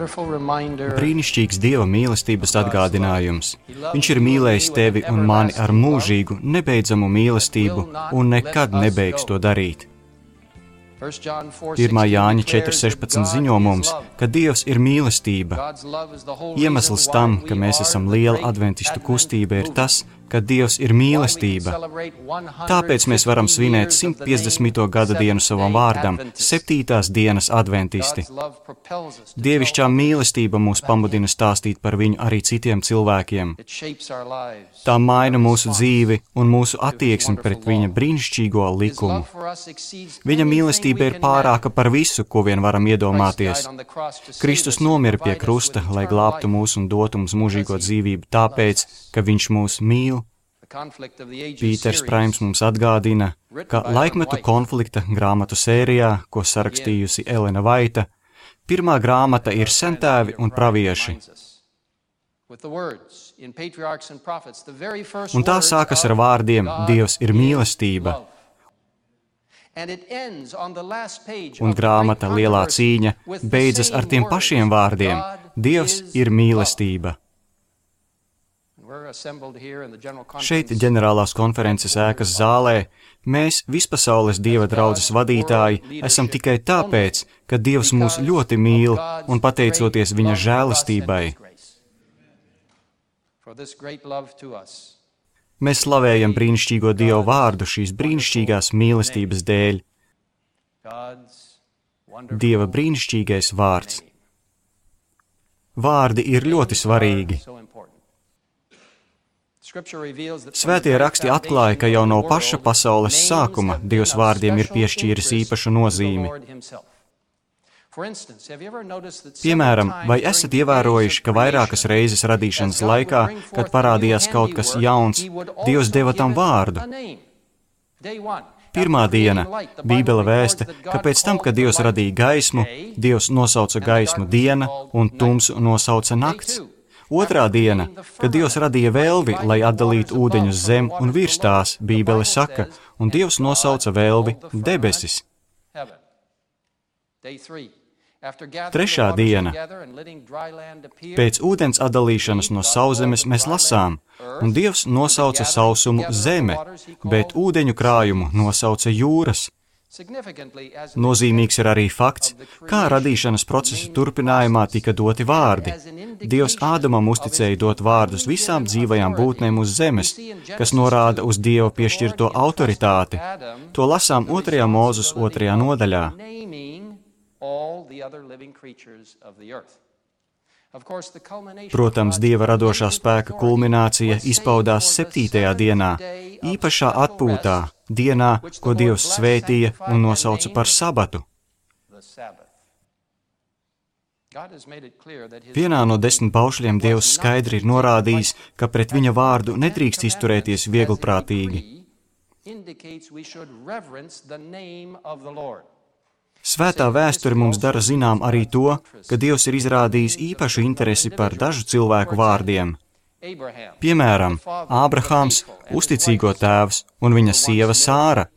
Brīnišķīgs Dieva mīlestības atgādinājums. Viņš ir mīlējis tevi un mani ar mūžīgu, nebeidzamu mīlestību un nekad nebeigs to darīt. 1. Jāņa 4.16 ziņo mums, ka Dievs ir mīlestība. Iemesls tam, ka mēs esam liela adventistu kustība, ir tas, ka Dievs ir mīlestība. Tāpēc mēs varam svinēt 150. gada dienu savam vārdam, 7. dienas adventisti. Dievišķā mīlestība mūs pamudina stāstīt par viņu arī citiem cilvēkiem. Tā maina mūsu dzīvi un mūsu attieksmi pret viņa brīnišķīgo likumu. Viņa mīlestība ir pārāka par visu, ko vien varam iedomāties. Kristus nomira pie krusta, lai glābtu mūs un dotu mums mūžīgo dzīvību tāpēc, ka viņš mūs mīl. Pīters Praims mums atgādina, ka laikmetu konflikta grāmatu sērijā, ko sarakstījusi Elena Vaita, pirmā grāmata ir Sentēvi un pravieši. Un tā sākas ar vārdiem Dievs ir mīlestība. Un grāmata Lielā cīņa beidzas ar tiem pašiem vārdiem Dievs ir mīlestība. Šeit ģenerālās konferences ēkas zālē mēs, vispasaules Dieva draudzes vadītāji, esam tikai tāpēc, ka Dievs mūs ļoti mīl un pateicoties viņa žēlastībai. Mēs slavējam brīnišķīgo Dieva vārdu šīs brīnišķīgās mīlestības dēļ. Dieva brīnišķīgais vārds. Vārdi ir ļoti svarīgi. Svētie raksti atklāja, ka jau no paša pasaules sākuma Dievs vārdiem ir piešķīris īpašu nozīmi. Piemēram, vai esat ievērojuši, ka vairākas reizes radīšanas laikā, kad parādījās kaut kas jauns, Dievs deva tam vārdu? Pirmā diena Bībele vēsta, ka pēc tam, kad Dievs radīja gaismu, Dievs nosauca gaismu diena un tumsu nosauca nakts. Otrā diena, kad Dievs radīja velvi, lai atdalītu ūdeņus zem un virs tās, Bībele saka, un Dievs nosauca velvi debesis. Trešā diena. Pēc ūdens atdalīšanas no sauszemes mēs lasām, un Dievs nosauca sausumu zeme, bet ūdeņu krājumu nosauca jūras. Nozīmīgs ir arī fakts, kā radīšanas procesa turpinājumā tika doti vārdi. Dievs Ādamam uzticēja dot vārdus visām dzīvajām būtnēm uz zemes, kas norāda uz Dieva piešķirto autoritāti. To lasām 2. Mūzes 2. nodaļā. Protams, Dieva radošā spēka kulminācija izpaudās 7. dienā, īpašā atpūtā, dienā, ko Dievs svētīja un nosauca par sabatu. Vienā no 10 baušļiem Dievs skaidri ir norādījis, ka pret viņa vārdu nedrīkst izturēties vieglprātīgi. Svētā vēsture mums dara zinām arī to, ka Dievs ir izrādījis īpašu interesi par dažu cilvēku vārdiem. Piemēram, Ābrahāms, uzticīgo tēvs, un viņa sieva Sāra,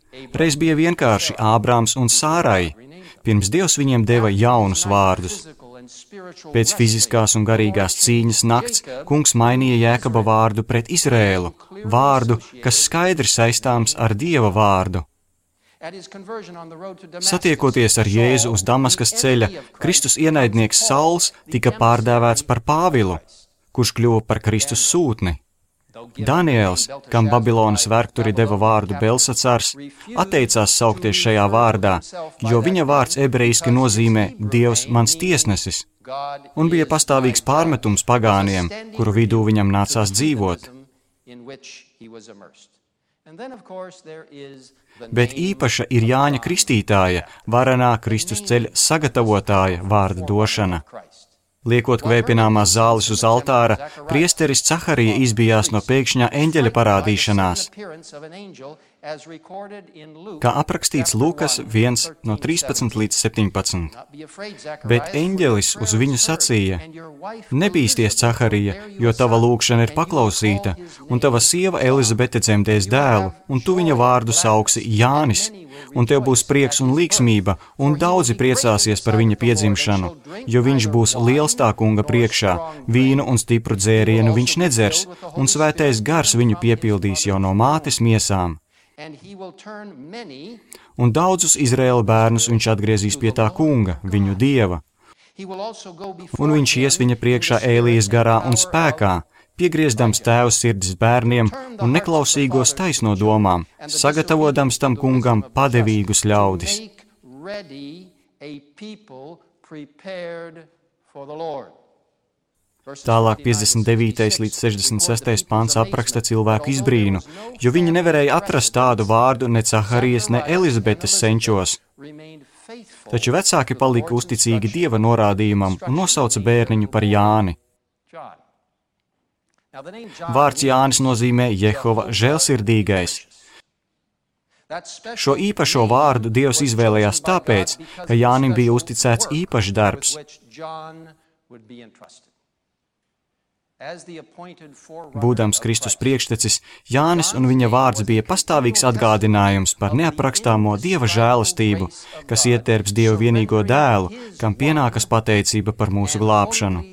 reiz bija vienkārši Ābrāms un Sārai, pirms Dievs viņiem deva jaunus vārdus. Pēc fiziskās un garīgās cīņas nakts kungs mainīja Jēkaba vārdu pret Izrēlu, vārdu, kas skaidri saistāms ar Dieva vārdu. Satiekoties ar Jēzu uz Damaskas ceļa, Kristus ienaidnieks Sauls tika pārdēvēts par Pāvilu, kurš kļuva par Kristus sūtni. Daniels, kam Babilonas vergturi deva vārdu Belsacars, atteicās saukties šajā vārdā, jo viņa vārds ebrejiski nozīmē Dievs mans tiesnesis, un bija pastāvīgs pārmetums pagāniem, kuru vidū viņam nācās dzīvot. Bet īpaša ir Jāņa Kristītāja, varenā Kristus ceļa sagatavotāja vārda došana. Liekot kvēpināmās zāles uz altāra, priesteris Caharija izbijās no pēkšņā eņģeļa parādīšanās. kā aprakstīts Lūkas 1 no 13 līdz 17. Bet eņģelis uz viņu sacīja: Nebīsties, Caharija, jo tava lūgšana ir paklausīta, un tava sieva Elizabete dzemdēs dēlu, un tu viņa vārdu sauksi Jānis, un tev būs prieks un līgsmība, un daudzi priecāsies par viņa piedzimšanu, jo viņš būs liels tā kunga priekšā, vīnu un stipru dzērienu viņš nedzers, un svētais gars viņu piepildīs jau no mātes miesām. Un daudzus Izraēla bērnus viņš atgriezīs pie tā kunga, viņu dieva. Un viņš ies viņa priekšā Ēlijas garā un spēkā, piegriezdams tēva sirdis bērniem un neklausīgos taisno domām, sagatavodams tam kungam padevīgus ļaudis. Tālāk 59. līdz 66. pants apraksta cilvēku izbrīnu, jo viņi nevarēja atrast tādu vārdu ne Caharijas, ne Elizabetes senčos. Taču vecāki palika uzticīgi Dieva norādījumam un nosauca bērniņu par Jāni. Vārds Jānis nozīmē Jehova žēlsirdīgais. Šo īpašo vārdu Dievs izvēlējās tāpēc, ka Jānim bija uzticēts īpašs darbs. Būdams Kristus priekštecis, Jānis un viņa vārds bija pastāvīgs atgādinājums par neaprakstāmo Dieva žēlastību, kas ietērps Dieva vienīgo dēlu, kam pienākas pateicība par mūsu glābšanu.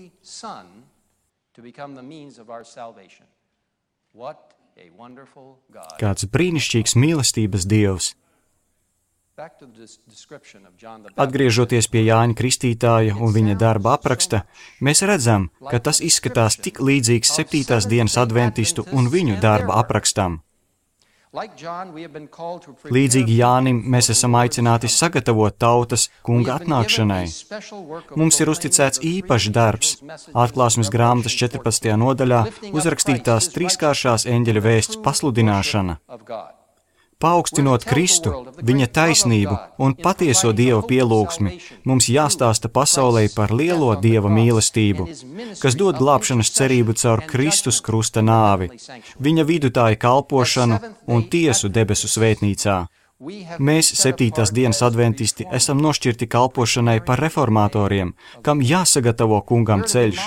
Kāds brīnišķīgs mīlestības Dievs! Atgriežoties pie Jāņa Kristītāja un viņa darba apraksta, mēs redzam, ka tas izskatās tik līdzīgs 7. dienas adventistu un viņu darba aprakstam. Līdzīgi Jānim mēs esam aicināti sagatavot tautas kunga atnākšanai. Mums ir uzticēts īpašs darbs. Atklāsmes grāmatas 14. nodaļā uzrakstītās trīskāršās eņģeļa vēsts pasludināšana. Paaugstinot Kristu, viņa taisnību un patieso Dieva pielūgsmi, mums jāstāsta pasaulē par lielo Dieva mīlestību, kas dod glābšanas cerību caur Kristus krusta nāvi, viņa vidutāja kalpošanu un tiesu debesu svētnīcā. Mēs, 7. dienas adventisti, esam nošķirti kalpošanai par reformatoriem, kam jāsagatavo kungam ceļš.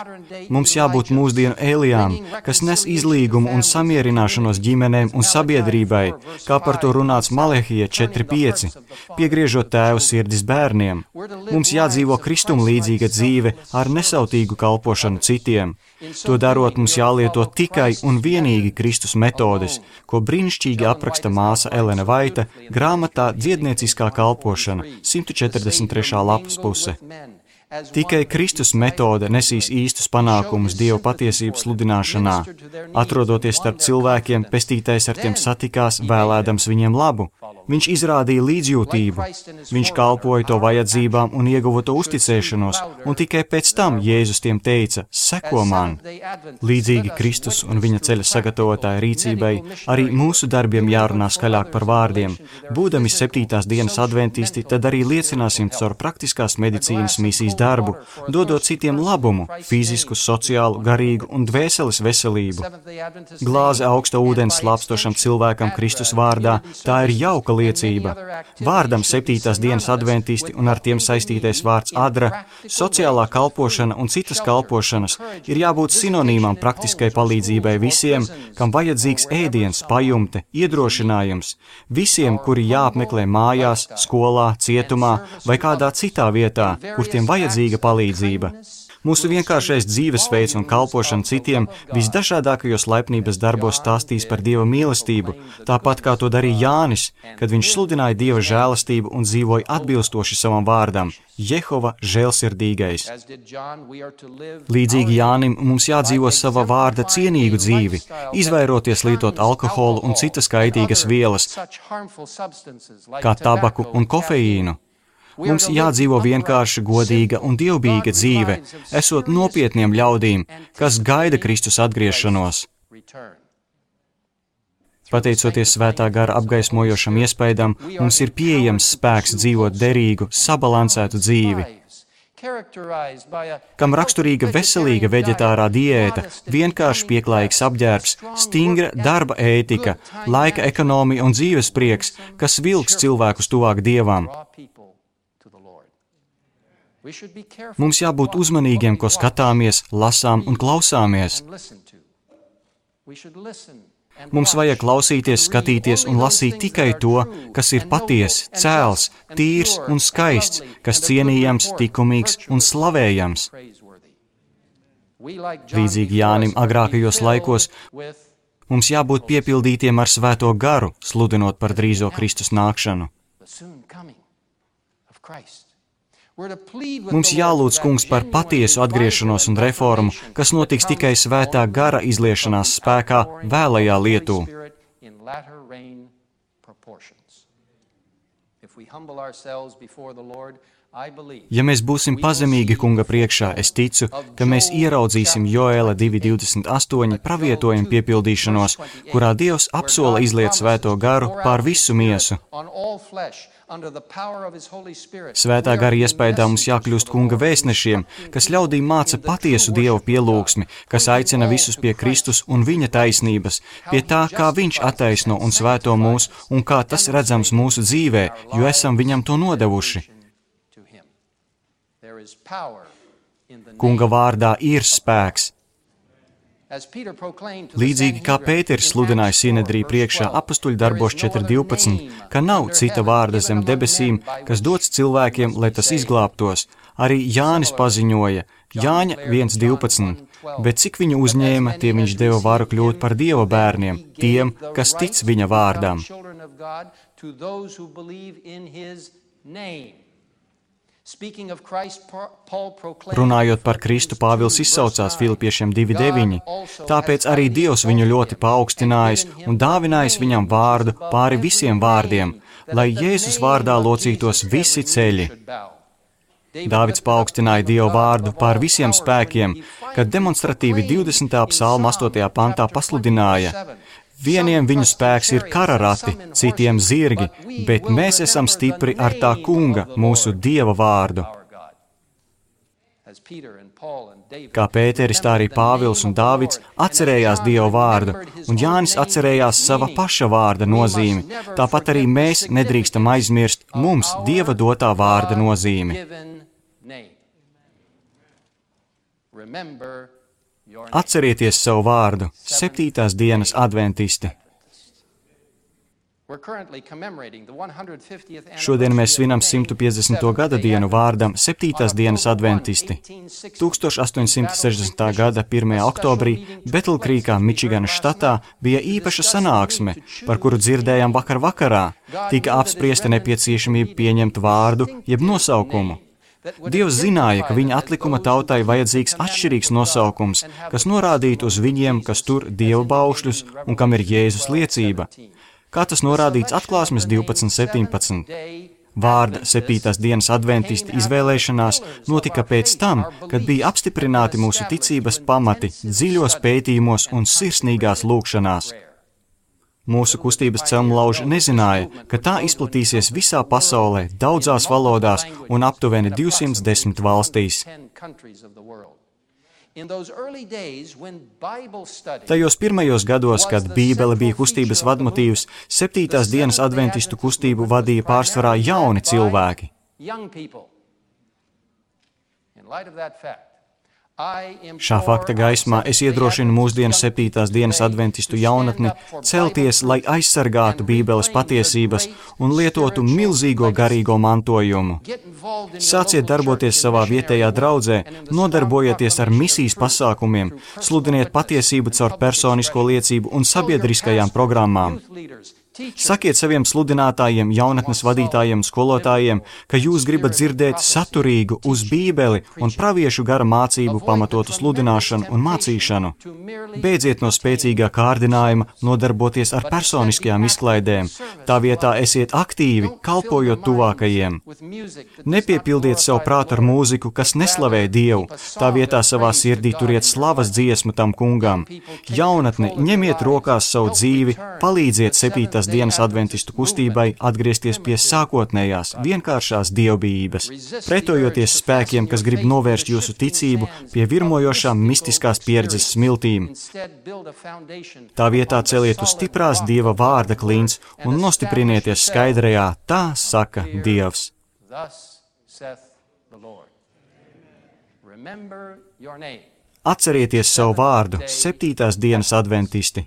Mums jābūt mūsdienu Ēlijām, kas nes izlīgumu un samierināšanos ģimenēm un sabiedrībai, kā par to runāts Malehija 4.5, piegriežot tēvu sirdis bērniem. Mums jādzīvo Kristum līdzīga dzīve ar nesautīgu kalpošanu citiem. To darot, mums jālieto tikai un vienīgi Kristus metodes, ko brīnišķīgi apraksta māsa Elena Vaita grāmatā Dziednieciskā kalpošana, 143. lapas puse. Tikai Kristus metode nesīs īstus panākumus Dieva patiesības sludināšanā. Atrodoties starp cilvēkiem, pestītais ar tiem satikās, vēlēdams viņiem labu. Viņš izrādīja līdzjūtību, viņš kalpoja to vajadzībām un ieguva to uzticēšanos, un tikai pēc tam Jēzus tiem teica: seko man. Līdzīgi Kristus un viņa ceļa sagatavotāja rīcībai, arī mūsu darbiem jārunā skaļāk par vārdiem. Būdami 7. dienas adventisti, tad arī liecināsim caur praktiskās medicīnas misijas darbu, dodot citiem labumu, fizisku, sociālu, garīgu un dvēseles veselību. Glāze augsta ūdens slāpstošam cilvēkam Kristus vārdā, tā ir jauka liecība. Vārdam 7. dienas adventisti un ar tiem saistītais vārds adra, sociālā kalpošana un citas kalpošanas ir jābūt sinonīmām praktiskai palīdzībai visiem, kam vajadzīgs ēdiens, pajumte, iedrošinājums, visiem, kuri jāapmeklē mājās, skolā, cietumā vai kādā citā vietā, kur tiem vajadzīga palīdzība. Mūsu vienkāršais dzīvesveids un kalpošana citiem visdažādākajos laipnības darbos stāstīs par Dieva mīlestību, tāpat kā to darīja Jānis, kad viņš sludināja Dieva žēlastību un dzīvoja atbilstoši savam vārdam – Jehova žēlsirdīgais. Līdzīgi Jānim mums jādzīvo sava vārda cienīgu dzīvi, izvairoties lietot alkoholu un citas kaitīgas vielas, kā tabaku un kofeīnu. Mums jādzīvo vienkārši godīga un dievbijīga dzīve, esot nopietniem ļaudīm, kas gaida Kristus atgriešanos. Pateicoties svētā gara apgaismojošam iespaidam, mums ir pieejams spēks dzīvot derīgu, sabalansētu dzīvi. kam raksturīga veselīga veģetārā diēta, vienkārši pieklājīgs apģērbs, stingra darba ētika, laika ekonomija un dzīves prieks, kas vilks cilvēkus tuvāk Dievam. Mums jābūt uzmanīgiem, ko skatāmies, lasām un klausāmies. Mums vajag klausīties, skatīties un lasīt tikai to, kas ir patiess, cēls, tīrs un skaists, kas cienījams, likumīgs un slavējams. Līdzīgi Jānim agrākajos laikos, mums jābūt piepildītiem ar Svēto garu, sludinot par drīzo Kristus nākšanu. Mums jālūdz Kungs par patiesu atgriešanos un reformu, kas notiks tikai Svētā gara izliešanās spēkā vēlajā lietū. Ja mēs būsim pazemīgi Kunga priekšā, es ticu, ka mēs ieraudzīsim Joēla 2:28 pravietojumu piepildīšanos, kurā Dievs apsola izliet Svēto garu pār visu miesu. Svētā gara iespējā mums jākļūst Kunga vēstnešiem, kas ļaudīm māca patiesu Dievu pielūgsmi, kas aicina visus pie Kristus un viņa taisnības, pie tā, kā viņš attaisno un svēto mūs un kā tas redzams mūsu dzīvē, jo esam viņam to nodevuši. Kunga vārdā ir spēks. Līdzīgi kā Pēters sludināja Sinedrī priekšā apustuļu darbos 4:12, ka nav cita vārda zem debesīm, kas dots cilvēkiem, lai tas izglābtos, arī Jānis paziņoja, Jāņa 1:12, bet cik viņu uzņēma, tie viņš deva varu kļūt par Dieva bērniem, tiem, kas tic viņa vārdam. Runājot par Kristu, Pāvils izsaucās Filipiešiem 2:9, tāpēc arī Dievs viņu ļoti paaugstinājis un dāvinājis viņam vārdu pāri visiem vārdiem, lai Jēzus vārdā locītos visi ceļi. Dāvids paaugstināja Dieva vārdu pār visiem spēkiem, kad demonstratīvi 20. psalma 8. pantā pasludināja: vieniem viņu spēks ir kara rati, citiem zirgi, bet mēs esam stipri ar tā Kunga, mūsu Dieva vārdu. Kā Pēteris, tā arī Pāvils un Dāvids atcerējās Dieva vārdu, un Jānis atcerējās sava paša vārda nozīmi, tāpat arī mēs nedrīkstam aizmirst mums Dieva dotā vārda nozīmi. Atcerieties savu vārdu, 7. dienas adventisti. Šodien mēs svinam 150. gada dienu vārdam 7. dienas adventisti. 1860. gada 1. oktobrī Betlkrīkā, Mičiganas štatā, bija īpaša sanāksme, par kuru dzirdējām vakar vakarā. Tika apspriesta nepieciešamība pieņemt vārdu, jeb nosaukumu. Dievs zināja, ka viņa atlikuma tautai vajadzīgs atšķirīgs nosaukums, kas norādītu uz viņiem, kas tur Dieva baušļus un kam ir Jēzus liecība. Kā tas norādīts Atklāsmes 12:17. Vārda 7. dienas adventisti izvēlēšanās notika pēc tam, kad bija apstiprināti mūsu ticības pamati dziļos pētījumos un sirsnīgās lūgšanās. Mūsu kustības celmlauži nezināja, ka tā izplatīsies visā pasaulē, daudzās valodās un aptuveni 210 valstīs. Tajos pirmajos gados, kad Bībele bija kustības vadmotīvs, 7. dienas adventistu kustību vadīja pārsvarā jauni cilvēki. Šā fakta gaismā es iedrošinu mūsdienu 7. dienas adventistu jaunatni celties, lai aizsargātu Bībeles patiesības un lietotu milzīgo garīgo mantojumu. Sāciet darboties savā vietējā draudzē, nodarbojieties ar misijas pasākumiem, sludiniet patiesību caur personisko liecību un sabiedriskajām programmām. Sakiet saviem sludinātājiem, jaunatnes vadītājiem, skolotājiem, ka jūs gribat dzirdēt saturīgu, uz Bībeli un praviešu gara mācību pamatotu sludināšanu un mācīšanu. Beidziet no spēcīgā kārdinājuma nodarboties ar personiskajām izklaidēm. Tā vietā esiet aktīvi, kalpojot tuvākajiem. Nepiepildiet savu prātu ar mūziku, kas neslavē Dievu. Tā vietā savā sirdī turiet slavas dziesmu tam Kungam. Jaunatne, ņemiet rokās savu dzīvi, palīdziet 7. dienas adventistu kustībai atgriezties pie sākotnējās, vienkāršās dievbijības, pretojoties spēkiem, kas grib novērst jūsu ticību pie virmojošām mistiskās pieredzes smiltīm. Tā vietā celiet uz stiprās Dieva vārda klints un nostiprinieties skaidrajā, tā saka Dievs. Atcerieties savu vārdu, 7. dienas adventisti.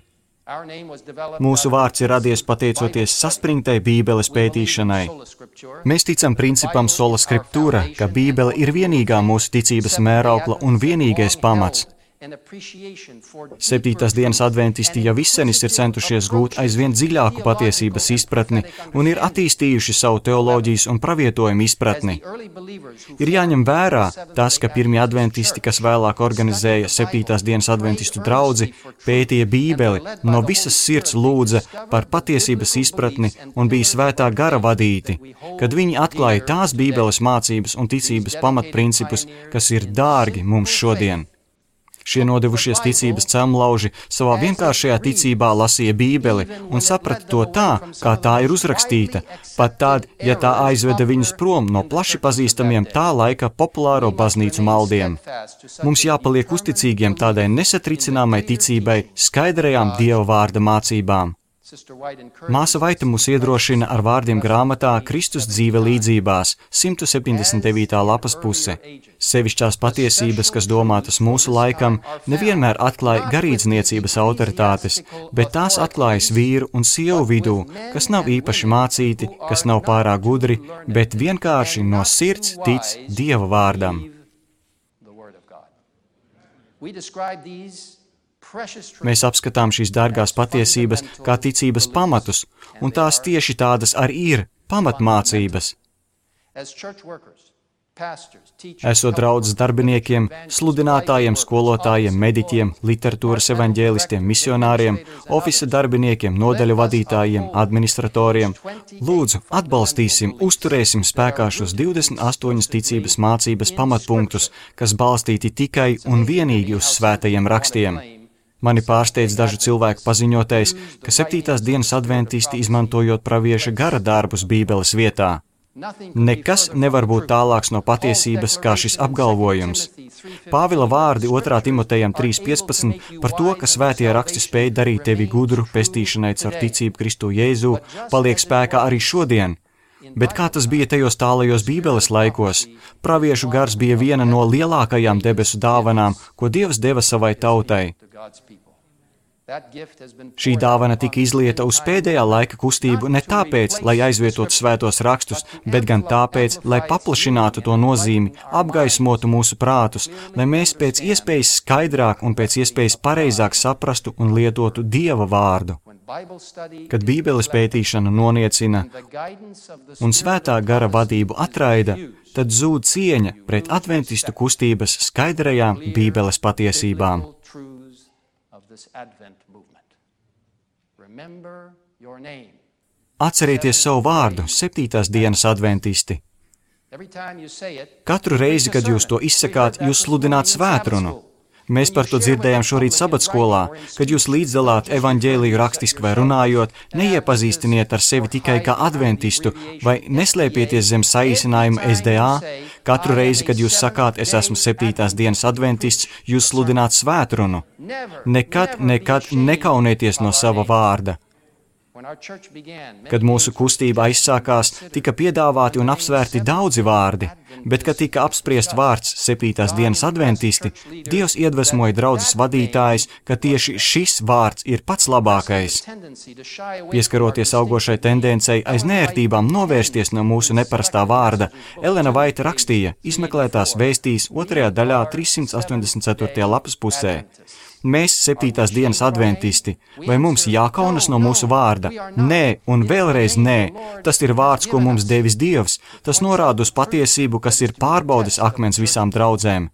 Mūsu vārds ir radies pateicoties saspringtai Bībeles pētīšanai. Mēs ticam principam sola scriptura, ka Bībele ir vienīgā mūsu ticības mēraukla un vienīgais pamats. 7. dienas adventisti jau izsenis ir centušies gūt aizvien dziļāku patiesības izpratni un ir attīstījuši savu teoloģijas un pravietojumu izpratni. Ir jāņem vērā tas, ka pirmie adventisti, kas vēlāk organizēja 7. dienas adventistu draudzi, pētīja Bībeli, no visas sirds lūdza par patiesības izpratni un bija svētā gara vadīti, kad viņi atklāja tās Bībeles mācības un ticības pamatprincipus, kas ir dārgi mums šodien. Šie nodevušies ticības cemlauži savā vienkāršajā ticībā lasīja Bībeli un saprata to tā, kā tā ir uzrakstīta, pat tad, ja tā aizveda viņus prom no plaši pazīstamiem tā laika populāro baznīcu maldiem. Mums jāpaliek uzticīgiem tādai nesatricināmai ticībai, skaidrajām Dieva vārda mācībām. Māsa Vaita mūs iedrošina ar vārdiem grāmatā Kristus dzīve līdzībās, 179. lapas puse. Sevišķās patiesības, kas domātas mūsu laikam, nevienmēr atklāja garīdzniecības autoritātes, bet tās atklājas vīru un sievu vidū, kas nav īpaši mācīti, kas nav pārāk gudri, bet vienkārši no sirds tic Dieva vārdam. Mēs apskatām šīs dārgās patiesības kā ticības pamatus, un tās tieši tādas arī ir pamatmācības. Esot draudzes darbiniekiem, sludinātājiem, skolotājiem, mediķiem, literatūras evaņģēlistiem, misionāriem, ofisa darbiniekiem, nodaļu vadītājiem, administratoriem, lūdzu, atbalstīsim, uzturēsim spēkā šos 28 ticības mācības pamatpunktus, kas balstīti tikai un vienīgi uz svētajiem rakstiem. Mani pārsteidz dažu cilvēku paziņotais, ka 7. dienas adventisti izmantojot pravieša gara darbus Bībeles vietā. Nekas nevar būt tālāks no patiesības kā šis apgalvojums. Pāvila vārdi 2. Timotejam 3.15 par to, ka svētie raksti spēj darīt tevi gudru pestīšanai caur ticību Kristu Jēzu, paliek spēkā arī šodien. Bet kā tas bija tajos tālajos Bībeles laikos? Praviešu gars bija viena no lielākajām debesu dāvanām, ko Dievs deva savai tautai. Šī dāvana tika izlieta uz pēdējā laika kustību ne tāpēc, lai aizvietotu svētos rakstus, bet gan tāpēc, lai paplašinātu to nozīmi, apgaismotu mūsu prātus, lai mēs pēc iespējas skaidrāk un pēc iespējas pareizāk saprastu un lietotu Dieva vārdu. Kad Bībeles pētīšana noniecina un svētā gara vadību atraida, tad zūd cieņa pret adventistu kustības skaidrajām Bībeles patiesībām. Atcerieties savu vārdu, 7. dienas adventisti. Katru reizi, kad jūs to izsakāt, jūs sludināt svētrunu. Mēs par to dzirdējām šorīt sabatskolā, kad jūs līdzdalāt evaņģēliju rakstiski vai runājot, neiepazīstiniet ar sevi tikai kā adventistu vai neslēpieties zem saīsinājuma SDA. Katru reizi, kad jūs sakāt, es esmu 7. dienas adventists, jūs sludināt svētrunu. Nekad nekaunieties no sava vārda. Kad mūsu kustība aizsākās, tika piedāvāti un apsvērti daudzi vārdi, bet, kad tika apspriests vārds 7. dienas adventisti, Dievs iedvesmoja draudzes vadītājus, ka tieši šis vārds ir pats labākais. Pieskaroties augošai tendencei aiz neērtībām novērsties no mūsu neparastā vārda, Elena Vaita rakstīja izmeklētās vēstīs 2. daļā 384. lapas pusē. Mēs, 7. dienas adventisti, vai mums jākaunas no mūsu vārda? Nē, un vēlreiz nē. Tas ir vārds, ko mums devis Dievs. Tas norāda uz patiesību, kas ir pārbaudes akmens visām draudzēm.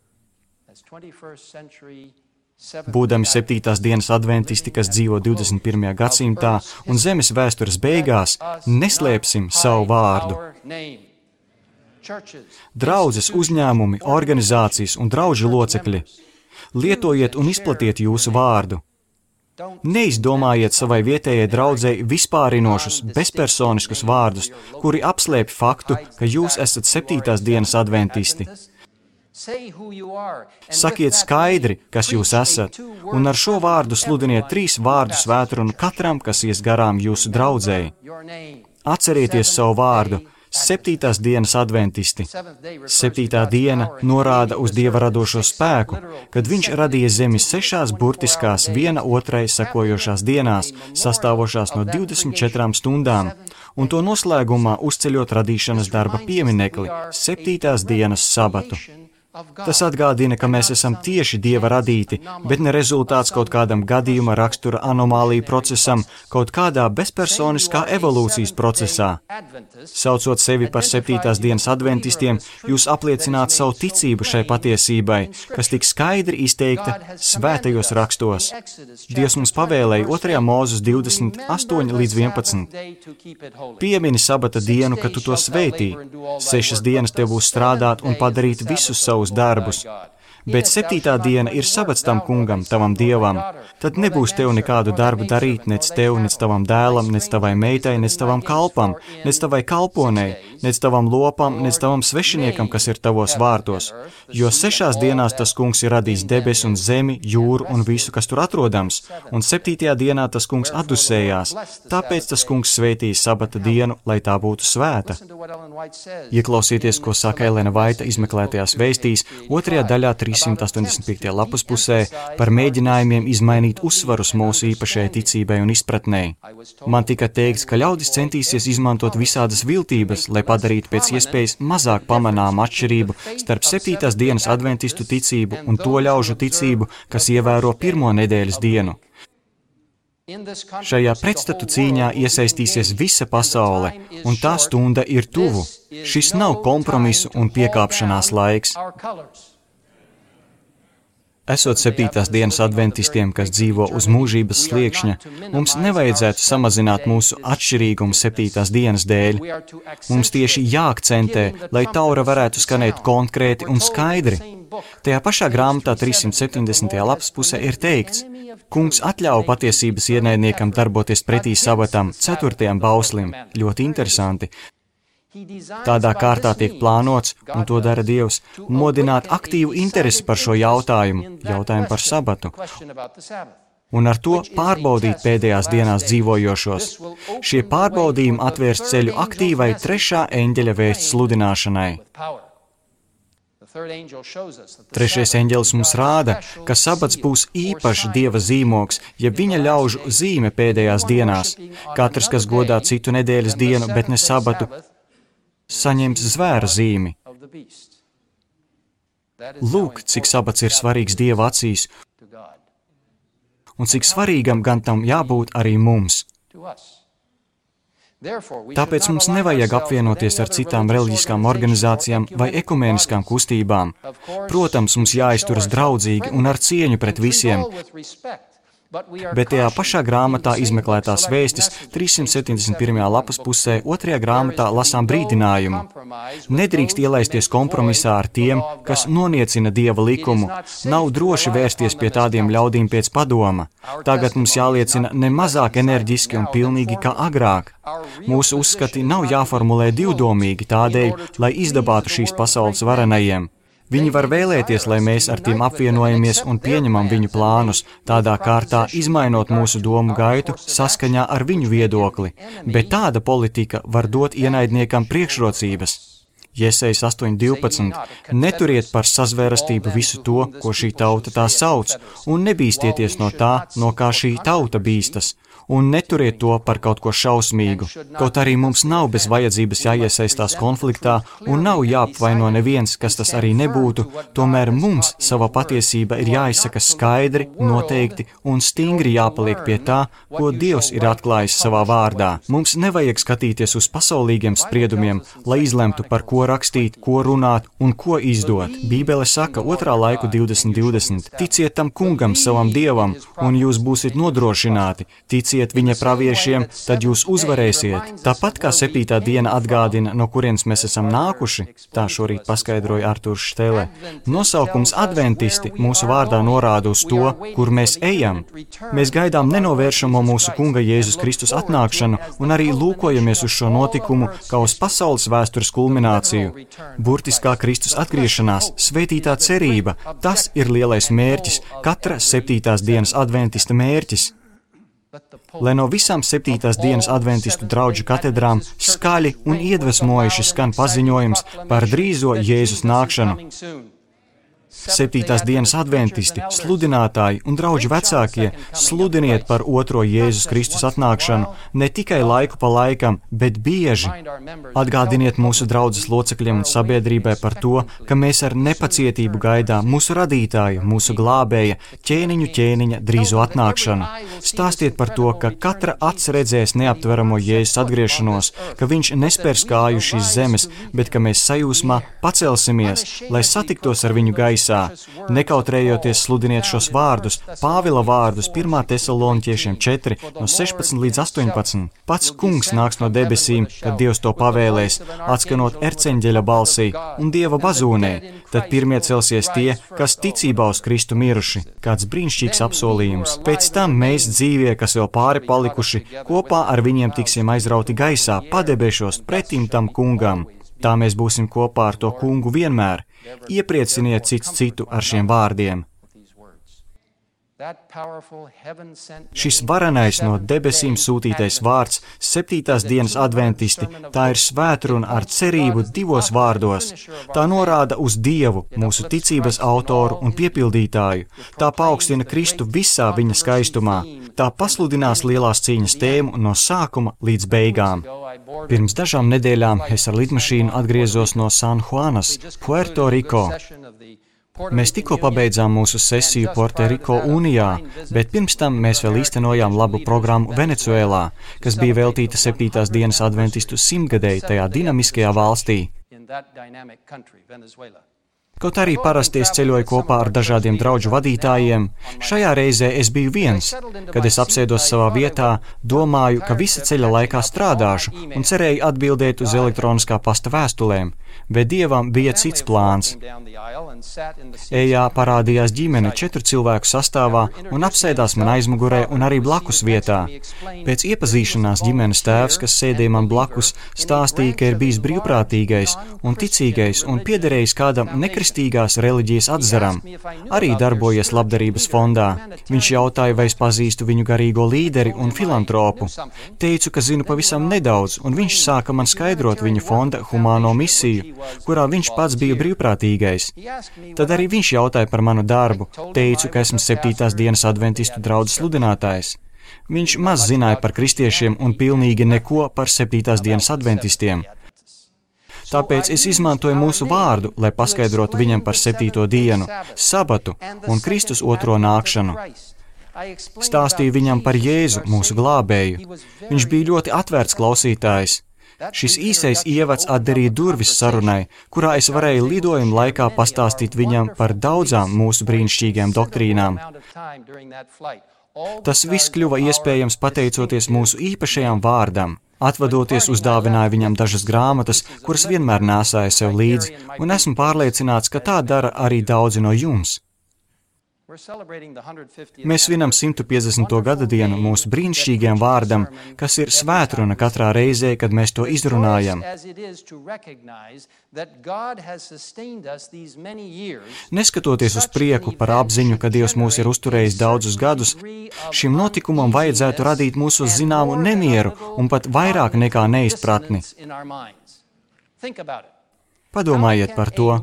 Būdami 7. dienas adventisti, kas dzīvo 21. gadsimtā un zemes vēstures beigās, neslēpsim savu vārdu. Draudzes, uzņēmumi, organizācijas un draužu locekļi. Lietojiet un izplatiet jūsu vārdu. Neizdomājiet savai vietējai draudzei vispārinošus, bezpersoniskus vārdus, kuri apslēpj faktu, ka jūs esat 7. dienas adventisti. Sakiet skaidri, kas jūs esat, un ar šo vārdu sludiniet 3 vārdu svētrunu katram, kas ies garām jūsu draudzei. Atcerieties savu vārdu. 7. dienas adventisti. 7. diena norāda uz Dieva radošo spēku, kad viņš radīja zemi 6 burtiskās viena otrai sekojošās dienās, sastāvošās no 24 stundām, un to noslēgumā uzceļot radīšanas darba pieminekli - 7. dienas sabatu. Tas atgādina, ka mēs esam tieši Dieva radīti, bet ne rezultāts kaut kādam gadījuma rakstura anomāliju procesam, kaut kādā bezpersoniskā evolūcijas procesā. Saucot sevi par 7. dienas adventistiem, jūs apliecināt savu ticību šai patiesībai, kas tik skaidri izteikta svētajos rakstos. Dievs mums pavēlēja 2. Mūzes 28-11. Piemini sabata dienu, kad tu to svētī. 6 dienas tev būs strādāt un padarīt visus savus darbus. Bet 7. diena ir sabats tam kungam, tavam dievam. Tad nebūs tev nekādu darbu darīt, nec tev, nec tavam dēlam, nec tavai meitai, nec tavam kalpam, nec tavai kalponei, nec tavam lopam, nec tavam svešiniekam, kas ir tavos vārtos. Jo 6 dienās tas kungs ir radījis debes un zemi, jūru un visu, kas tur atrodams, un 7. dienā tas kungs atdusējās. Tāpēc tas kungs svētīja sabata dienu, lai tā būtu svēta. Ieklausieties, ko saka Elena Vaita izmeklētajās vēstīs, 2. daļā 385. lapas pusē par mēģinājumiem izmainīt uzsvarus mūsu īpašajai ticībai un izpratnei. Man tika teikts, ka ļaudis centīsies izmantot visādas viltības, lai padarītu pēc iespējas mazāk pamanāmu atšķirību starp 7. dienas adventistu ticību un to ļaužu ticību, kas ievēro 1. nedēļas dienu. Šajā pretstatu cīņā iesaistīsies visa pasaule, un tā stunda ir tuvu. Šis nav kompromisu un piekāpšanās laiks. Esot 7. dienas adventistiem, kas dzīvo uz mūžības sliekšņa, mums nevajadzētu samazināt mūsu atšķirīgumu 7. dienas dēļ. Mums tieši jāakcentē, lai taura varētu skanēt konkrēti un skaidri. Tajā pašā grāmatā 370. lapas pusē ir teikts: Kungs atļauj patiesības ienaidniekam darboties pretī sabatam, 4. bauslim. Ļoti interesanti. Tādā kārtā tiek plānots, un to dara Dievs, modināt aktīvu interesi par šo jautājumu par sabatu, un ar to pārbaudīt pēdējās dienās dzīvojošos. Šie pārbaudījumi atvērs ceļu aktīvai 3. eņģeļa vēsts sludināšanai. 3. eņģelis mums rāda, ka sabats būs īpašs Dieva zīmogs, ja viņa ļaužu zīme pēdējās dienās. Katrs, kas godā citu nedēļas dienu, bet ne sabatu, saņems zvēra zīmi. Lūk, cik sabats ir svarīgs Dieva acīs, un cik svarīgam gan tam jābūt arī mums. Tāpēc mums nevajag apvienoties ar citām reliģiskām organizācijām vai ekumēniskām kustībām. Protams, mums jāizturas draudzīgi un ar cieņu pret visiem. Bet tajā pašā grāmatā izmeklētās vēstis 371. lapas pusē 2. grāmatā lasām brīdinājumu. Nedrīkst ielaisties kompromisā ar tiem, kas noniecina Dieva likumu. Nav droši vērsties pie tādiem ļaudīm pēc padoma. Tagad mums jāliecina ne mazāk enerģiski un pilnīgi kā agrāk. Mūsu uzskati nav jāformulē divdomīgi tādēļ, lai izdabātu šīs pasaules varenajiem. Viņi var vēlēties, lai mēs ar tiem apvienojamies un pieņemam viņu plānus, tādā kārtā izmainot mūsu domu gaitu saskaņā ar viņu viedokli, bet tāda politika var dot ienaidniekam priekšrocības. Jesejas 8:12. Neturiet par sazvērastību visu to, ko šī tauta tā sauc, un nebīstieties no tā, no kā šī tauta bīstas. Un neturiet to par kaut ko šausmīgu. Kaut arī mums nav bez vajadzības jāiesaistās konfliktā un nav jāapvaino neviens, kas tas arī nebūtu, tomēr mums sava patiesība ir jāizsaka skaidri, noteikti un stingri jāpaliek pie tā, ko Dievs ir atklājis savā vārdā. Mums nevajag skatīties uz pasaulīgiem spriedumiem, lai izlemtu, par ko rakstīt, ko runāt un ko izdot. Bībele saka 2. laiku 20:20. Ticiet tam kungam, savam Dievam, un jūs būsiet nodrošināti. Ticiet ticiet viņa praviešiem, tad jūs uzvarēsiet. Tāpat kā 7. diena atgādina, no kurienes mēs esam nākuši, tā šorīt paskaidroja Artūrs Štele. Nosaukums adventisti mūsu vārdā norāda uz to, kur mēs ejam. Mēs gaidām nenovēršamo mūsu Kunga Jēzus Kristus atnākšanu un arī lūkojamies uz šo notikumu kā uz pasaules vēstures kulmināciju. Burtiskā Kristus atgriešanās, svētītā cerība, tas ir lielais mērķis, katra 7. dienas adventista mērķis. Lai no visām 7. dienas adventistu draudžu katedrām skaļi un iedvesmojuši skan paziņojums par drīzo Jēzus nākšanu. 7. dienas adventisti, sludinātāji un draudžu vecākie, sludiniet par otro Jēzus Kristus atnākšanu ne tikai laiku pa laikam, bet bieži. Atgādiniet mūsu draudzes locekļiem un sabiedrībai par to, ka mēs ar nepacietību gaidām mūsu radītāja, mūsu glābēja, ķēniņa drīzo atnākšanu. Stāstiet par to, ka katra acs redzēs neaptveramo Jēzus atgriešanos, ka viņš nespērs kāju šīs zemes, bet ka mēs sajūsmā pacelsimies, lai satiktos ar viņu gaisā. Nekautrējoties sludiniet šos vārdus, Pāvila vārdus 1. Tesaloniķiešiem 4, no 16 līdz 18. Pats Kungs nāks no debesīm, kad Dievs to pavēlēs, atskanot erceņģeļa balsī un Dieva bazūnē. Tad pirmie celsies tie, kas ticībā uz Kristu miruši. Kāds brīnišķīgs apsolījums. Pēc tam mēs dzīvie, kas vēl pāri palikuši, kopā ar viņiem tiksim aizrauti gaisā, padebešos pretim tam Kungam. Tā mēs būsim kopā ar to Kungu vienmēr. Ieprieciniet cits citu ar šiem vārdiem. Šis varenais no debesīm sūtītais vārds, 7. dienas adventisti, tā ir svētruna ar cerību divos vārdos. Tā norāda uz Dievu, mūsu ticības autoru un piepildītāju. Tā paaugstina Kristu visā viņa skaistumā. Tā pasludinās lielās cīņas tēmu no sākuma līdz beigām. Pirms dažām nedēļām es ar lidmašīnu atgriezos no San Juanas, Puerto Rico. Mēs tikko pabeidzām mūsu sesiju Puerto-Riko Unijā, bet pirms tam mēs vēl īstenojām labu programmu Venecuēlā, kas bija veltīta 7. dienas adventistu 100-gadēji tajā dinamiskajā valstī. Kaut arī parasti es ceļoju kopā ar dažādiem draudžu vadītājiem, šajā reizē es biju viens. Kad es apsēdos savā vietā, domāju, ka visa ceļa laikā strādāšu un cerēju atbildēt uz elektroniskā pasta vēstulēm, bet Dievam bija cits plāns. Ejā parādījās ģimene 4 cilvēku sastāvā un apsēdās man aizmugurē un arī blakus vietā. Pēc iepazīšanās ģimenes tēvs, kas sēdēja man blakus, stāstīja, ka ir bijis brīvprātīgais un ticīgais un piederējis kādam nekristīgās reliģijas atzaram. Arī darbojies labdarības fondā. Viņš jautāja, vai es pazīstu viņu garīgo līderi un filantropu. Teicu, ka zinu pavisam nedaudz, un viņš sāka man skaidrot viņa fonda humāno misiju, kurā viņš pats bija brīvprātīgais. Tad arī viņš jautāja par manu darbu. Teicu, ka esmu 7. dienas adventistu draudzes sludinātājs. Viņš maz zināja par kristiešiem un pilnīgi neko par 7. dienas adventistiem. Tāpēc es izmantoju mūsu vārdu, lai paskaidrotu viņam par 7. dienu, sabatu un Kristus otro nākšanu. Stāstīju viņam par Jēzu, mūsu glābēju. Viņš bija ļoti atvērts klausītājs. Šis īsais ievads atdarīja durvis sarunai, kurā es varēju lidojuma laikā pastāstīt viņam par daudzām mūsu brīnišķīgām doktrīnām. Tas viss kļuva iespējams pateicoties mūsu īpašajam vārdam. Atvadoties uzdāvināju viņam dažas grāmatas, kuras vienmēr nēsāju sev līdzi, un esmu pārliecināts, ka tā dara arī daudzi no jums. Mēs svinam 150. gada dienu mūsu brīnišķīgajam vārdam, kas ir svētruna katrā reizē, kad mēs to izrunājam. Neskatoties uz prieku par apziņu, ka Dievs mūs ir uzturējis daudzus gadus, šim notikumam vajadzētu radīt mūsos zināmu nemieru un pat vairāk nekā neizpratni. Padomājiet par to.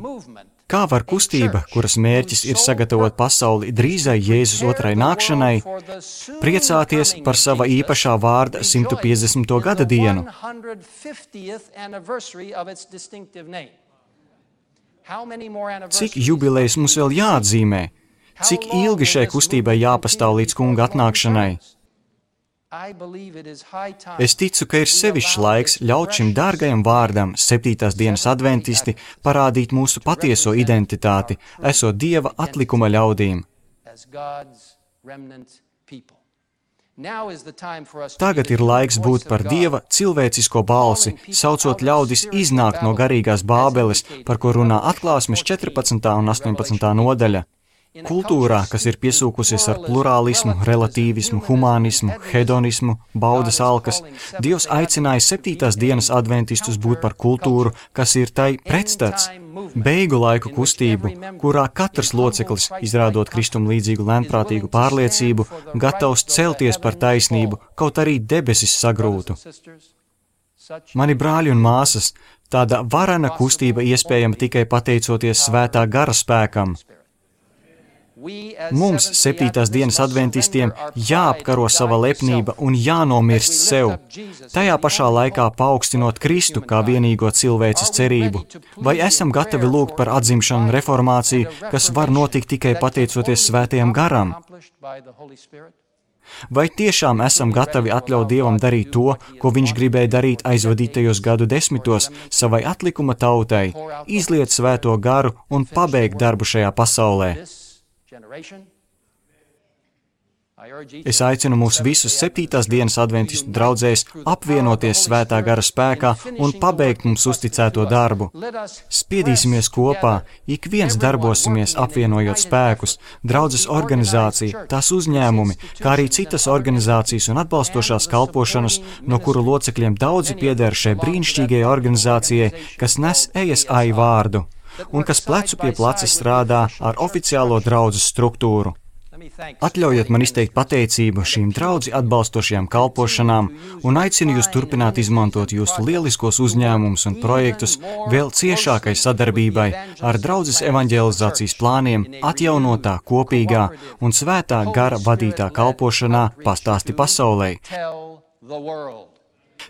Kā var kustība, kuras mērķis ir sagatavot pasauli drīzai Jēzus otrai nākšanai, priecāties par sava īpašā vārda 150. gada dienu? Cik jubilejas mums vēl jāatzīmē? Cik ilgi šai kustībai jāpastāv līdz Kunga atnākšanai? Es ticu, ka ir sevišķs laiks ļaut šim dārgajam vārdam, 7. dienas adventisti, parādīt mūsu patieso identitāti, esot Dieva atlikuma ļaudīm. Tagad ir laiks būt par Dieva cilvēcisko balsi, saucot ļaudis iznākt no garīgās bābeles, par ko runā Atklāsmes 14. un 18. nodaļa. Kultūrā, kas ir piesūkusies ar plurālismu, relativismu, humānismu, hedonismu, baudas alkas, Dievs aicināja 7. dienas adventistus būt par kultūru, kas ir tai pretstats. Beigu laiku kustību, kurā katrs loceklis, izrādot Kristum līdzīgu lēnprātīgu pārliecību, gatavs celties par taisnību, kaut arī debesis sagrūtu. Mani brāļi un māsas, tāda varena kustība iespējama tikai pateicoties svētā gara spēkam. Mums, 7. dienas adventistiem, jāapkaro sava lepnība un jānomirst sev, tajā pašā laikā paaugstinot Kristu kā vienīgo cilvēces cerību. Vai esam gatavi lūgt par atzimšanu un reformāciju, kas var notikt tikai pateicoties svētajam garam? Vai tiešām esam gatavi atļaut Dievam darīt to, ko viņš gribēja darīt aizvadītajos gadu desmitos savai atlikuma tautai, izliet svēto garu un pabeigt darbu šajā pasaulē? Es aicinu mūs visus 7. dienas adventistu draudzēs apvienoties svētā gara spēkā un pabeigt mums uzticēto darbu. Spiedīsimies kopā, ik viens darbosimies apvienojot spēkus, draudzes organizācija, tās uzņēmumi, kā arī citas organizācijas un atbalstošās kalpošanas, no kuru locekļiem daudzi pieder šai brīnišķīgajai organizācijai, kas nes ESI vārdu un kas plecu pie pleca strādā ar oficiālo draudzes struktūru. Atļaujiet man izteikt pateicību šīm draudzi atbalstošajām kalpošanām un aicinu jūs turpināt izmantot jūsu lieliskos uzņēmumus un projektus vēl ciešākai sadarbībai ar draudzes evaņģelizācijas plāniem atjaunotā, kopīgā un svētā gara vadītā kalpošanā pastāsti pasaulei.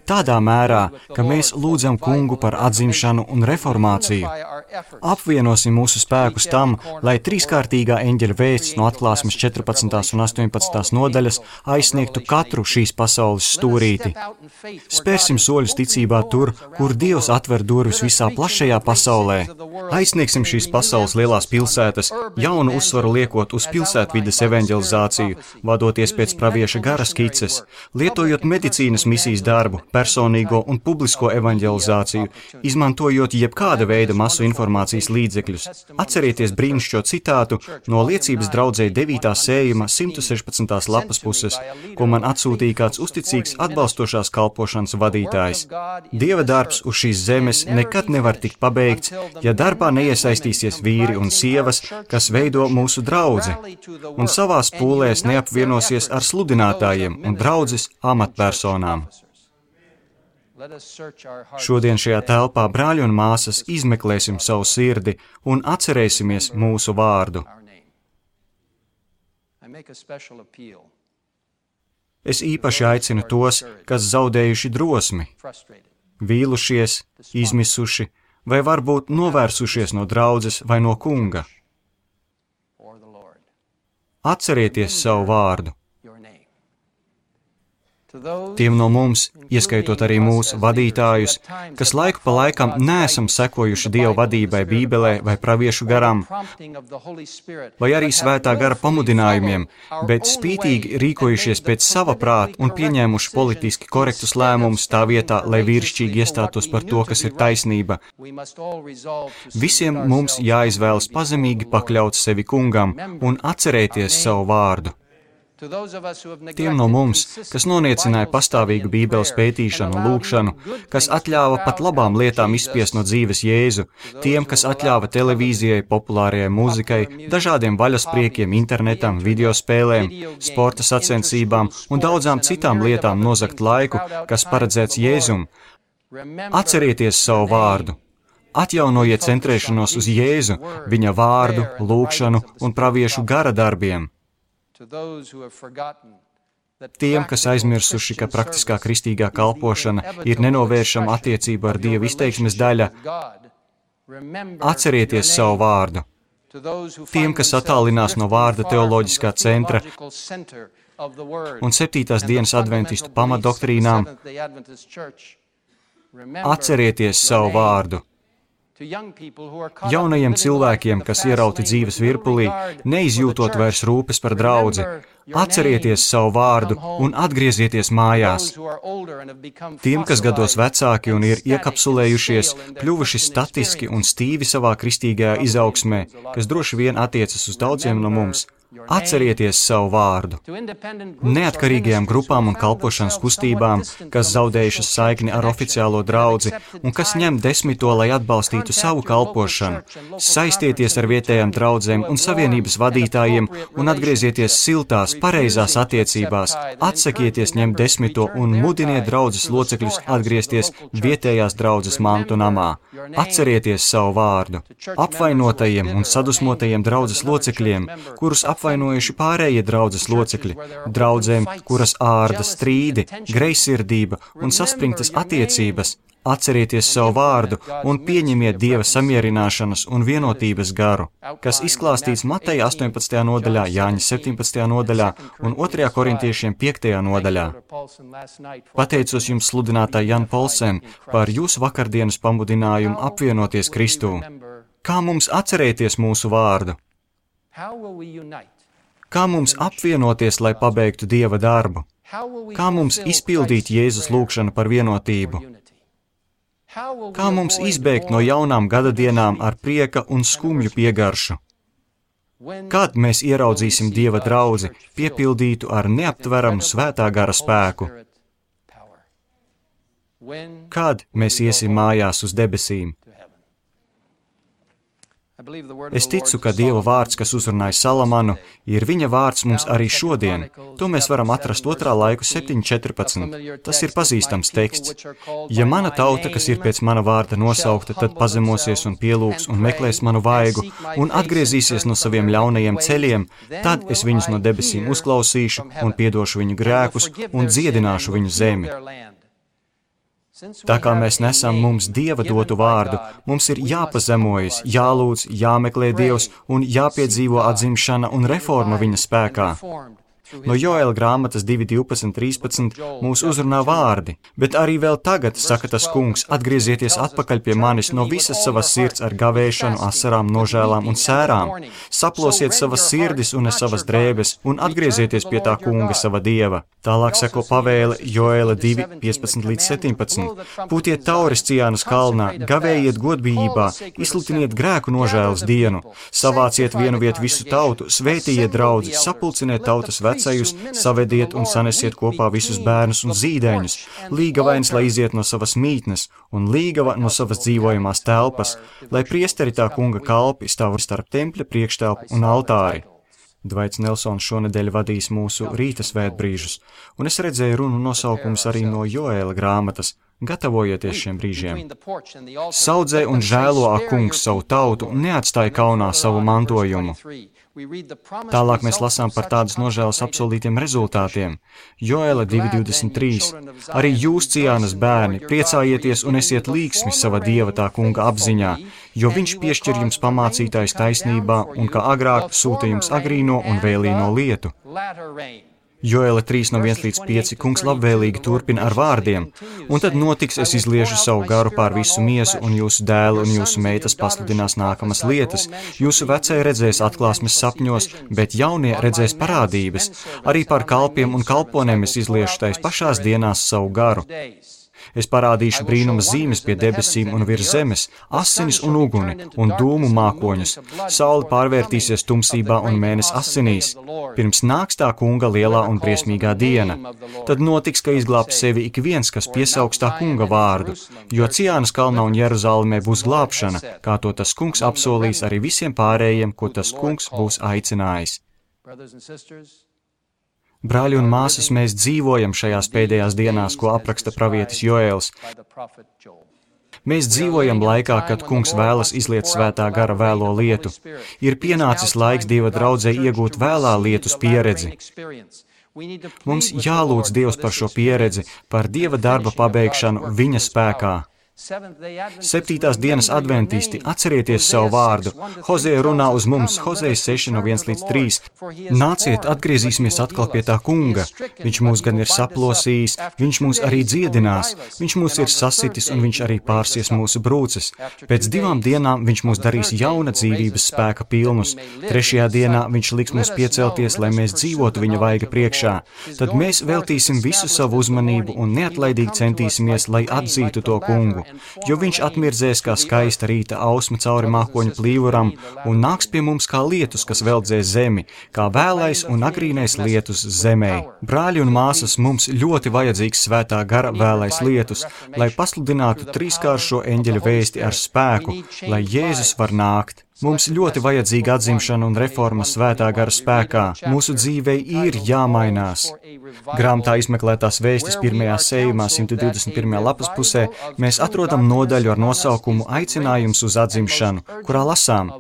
Tādā mērā, ka mēs lūdzam Kungu par atzimšanu un reformāciju. Apvienosim mūsu spēkus tam, lai trīskārtīgā eņģeļa vēsts no Atklāsmes 14. un 18. nodaļas aizsniegtu katru šīs pasaules stūrīti. Spērsim soļus ticībā tur, kur Dievs atver durvis visā plašajā pasaulē. Aizsniegsim šīs pasaules lielās pilsētas, jaunu uzsvaru liekot uz pilsētvides evaņģelizāciju, vadoties pēc pravieša gara skices, lietojot medicīnas misijas darbu, personīgo un publisko evaņģelizāciju, izmantojot jebkāda veida masu informācijas līdzekļus. Atcerieties brīnišķo citātu no liecības draudzē 9. sējuma 116. lapas puses, ko man atsūtīja kāds uzticīgs atbalstošās kalpošanas vadītājs. Dieva darbs uz šīs zemes nekad nevar tikt pabeigts, ja darbā neiesaistīsies vīri un sievas, kas veido mūsu draudzi, un savās pūlēs neapvienosies ar sludinātājiem un draudzes amatpersonām. Šodien šajā telpā, brāļi un māsas, izmeklēsim savu sirdi un atcerēsimies mūsu vārdu. Es īpaši aicinu tos, kas zaudējuši drosmi, vīlušies, izmisuši vai varbūt novērsušies no draudzes vai no Kunga. Atcerieties savu vārdu. Tiem no mums, ieskaitot arī mūsu vadītājus, kas laiku pa laikam neesam sekojuši Dieva vadībai Bībelē vai praviešu garam, vai arī svētā gara pamudinājumiem, bet spītīgi rīkojušies pēc sava prāta un pieņēmuši politiski korektus lēmumus tā vietā, lai vīrišķīgi iestātos par to, kas ir taisnība. Visiem mums jāizvēlas pazemīgi pakļaut sevi Kungam un atcerēties savu vārdu. Tiem no mums, kas noniecināja pastāvīgu Bībeles pētīšanu un lūgšanu, kas atļāva pat labām lietām izspiest no dzīves Jēzu, tiem, kas atļāva televīzijai, populārajai mūzikai, dažādiem vaļaspriekiem, internetam, videospēlēm, sporta sacensībām un daudzām citām lietām nozagt laiku, kas paredzēts Jēzum. Atcerieties savu vārdu. Atjaunojiet centrēšanos uz Jēzu, viņa vārdu, lūgšanu un praviešu gara darbiem. Tiem, kas aizmirsuši, ka praktiskā kristīgā kalpošana ir nenovēršama attiecība ar Dieva izteiksmes daļa, atcerieties savu vārdu. Tiem, kas attālinās no vārda teoloģiskā centra un 7. dienas adventistu pamatdoktrīnām, atcerieties savu vārdu. Jaunajiem cilvēkiem, kas ierauti dzīves virpulī, neizjūtot vairs rūpes par draudzi, Atcerieties savu vārdu un atgriezieties mājās. Tiem, kas gados vecāki un ir iekapsulējušies, kļuvuši statiski un stīvi savā kristīgajā izaugsmē, kas droši vien attiecas uz daudziem no mums, atcerieties savu vārdu. Neatkarīgajām grupām un kalpošanas kustībām, kas zaudējušas saikni ar oficiālo draudzi un kas ņem 10, lai atbalstītu savu kalpošanu, saistieties ar vietējām draudzēm un savienības vadītājiem un atgriezieties siltās, pareizās attiecībās, atsakieties ņemt 10 un mudiniet draudzes locekļus atgriezties vietējās draudzes mantu namā. Atcerieties savu vārdu. Apvainotajiem un sadusmotajiem draudzes locekļiem, kurus apvainojuši pārējie draudzes locekļi, draudzēm, kuras ārda strīdi, greizsirdība un saspringtas attiecības, atcerieties savu vārdu un pieņemiet Dieva samierināšanas un vienotības garu, kas izklāstīts Mateja 18. nodaļā, Jāņa 17. nodaļā un 2. korintiešiem 5. nodaļā. Pateicos jums, sludinātāji Jan Polsen, par jūsu vakardienas pamudinājumu apvienoties Kristū. Kā mums atcerēties mūsu vārdu? Kā mums apvienoties, lai pabeigtu Dieva darbu? Kā mums izpildīt Jēzus lūgšanu par vienotību? Kā mums izbēgt no jaunām gadadienām ar prieka un skumju piegaršu? Kad mēs ieraudzīsim Dieva draudzi, piepildītu ar neaptveramu svētā gara spēku? Kad mēs iesim mājās uz debesīm? Es ticu, ka Dieva vārds, kas uzrunāja Salamanu, ir viņa vārds mums arī šodien. To mēs varam atrast 2. laiku 7.14. Tas ir pazīstams teksts. Ja mana tauta, kas ir pēc mana vārda nosaukta, tad pazemosies un pielūgs un meklēs manu vaigu un atgriezīsies no saviem ļaunajiem ceļiem, tad es viņus no debesīm uzklausīšu un piedošu viņu grēkus un dziedināšu viņu zemi. Tā kā mēs nesam mums Dieva dotu vārdu, mums ir jāpazemojas, jālūdz, jāmeklē Dievs un jāpiedzīvo atzimšana un reforma viņa spēkā. No Joēla grāmatas 2.12.13 mūs uzrunā vārdi, bet arī vēl tagad, saka tas kungs, atgriezieties atpakaļ pie manis no visas savas sirds ar gavēšanu, asarām, nožēlām un sērām. Saplosiet savas sirdis un savas drēbes un atgriezieties pie tā kunga sava Dieva. Tālāk seko pavēle Joēla 2.15-17. Pūtiet tauris Cijānas kalnā, gavējiet godbijībā, izsludiniet grēku nožēlas dienu, savāciet vienu vietu visu tautu, svētījiet draudzi, sapulciniet tautas vecajus, savediet un sanesiet kopā visus bērnus un zīdaiņus, līgavains, lai iziet no savas mītnes, un līgava no savas dzīvojamās telpas, lai priesteri tā kunga kalpi stāv starp tempļa priekštelpu un altāri. Dvaits Nelsons šonedēļ vadīs mūsu rīta svētbrīžus, un es redzēju runu nosaukums arī no Joēla grāmatas. Gatavojieties šiem brīžiem. Saudzē un žēlo ak kungs savu tautu un neatstāj kaunā savu mantojumu. Tālāk mēs lasām par tādas nožēlas apsolītiem rezultātiem. Joēla 2.23. Arī jūs, Cijānas bērni, priecājieties un esiet līgsmi sava Dieva tā kunga apziņā, jo viņš piešķir jums pamācītājs taisnībā un kā agrāk sūta jums agrīno un vēlīno lietu. Joēla 3.1-5 kungs labvēlīgi turpina ar vārdiem, un tad notiks, es izliešu savu garu pār visu miesu, un jūsu dēlu un jūsu meitas pasludinās nākamas lietas, jūsu vecie redzēs atklāsmes sapņos, bet jaunie redzēs parādības, arī pār kalpiem un kalponēm es izliešu tais pašās dienās savu garu. Es parādīšu brīnuma zīmes pie debesīm un virs zemes, asinis un uguni un dūmu mākoņus. Saule pārvērtīsies tumsībā un mēnesis asinīs. Pirms nāks tā kunga lielā un briesmīgā diena. Tad notiks, ka izglābs sevi ik viens, kas piesaugs tā kunga vārdu, jo Cijānas kalnā un Jeruzalemē būs glābšana, kā to tas kungs apsolīs arī visiem pārējiem, ko tas kungs būs aicinājis. Brāļi un māsas, mēs dzīvojam šajās pēdējās dienās, ko apraksta pravietis Joēls. Mēs dzīvojam laikā, kad kungs vēlas izliet svētā gara vēlo lietu. Ir pienācis laiks Dieva draudzei iegūt vēlā lietus pieredzi. Mums jālūdz Dievs par šo pieredzi, par Dieva darba pabeigšanu viņa spēkā. Septītās dienas adventisti, atcerieties savu vārdu. Hozea runā uz mums, Hozea 6:1-3. Nāciet, atgriezīsimies atkal pie tā kunga. Viņš mūs gan ir saplosījis, viņš mūs arī dziedinās, viņš mūs ir sasitis un viņš arī pārsies mūsu brūces. Pēc 2 dienām viņš mūs darīs jauna dzīvības spēka pilnus. 3. dienā viņš liks mums piecelties, lai mēs dzīvotu viņa vaiga priekšā. Tad mēs veltīsim visu savu uzmanību un neatlaidīgi centīsimies, lai atzītu to kungu. Jo viņš atmirdzēs kā skaista rīta ausma cauri mākoņu plīvuram un nāks pie mums kā lietus, kas veldzēs zemi, kā vēlais un agrīnais lietus zemē. Brāļi un māsas, mums ļoti vajadzīgs svētā gara vēlais lietus, lai pasludinātu trīskāršo eņģeļu vēsti ar spēku, lai Jēzus var nākt. Mums ļoti vajadzīga atzimšana un reforma svētā gara spēkā. Mūsu dzīvei ir jāmainās. Grāmatā izmeklētās vēstis 1. sējumā 121. lapas pusē mēs atrodam nodaļu ar nosaukumu Aicinājums uz atzimšanu, kurā lasām: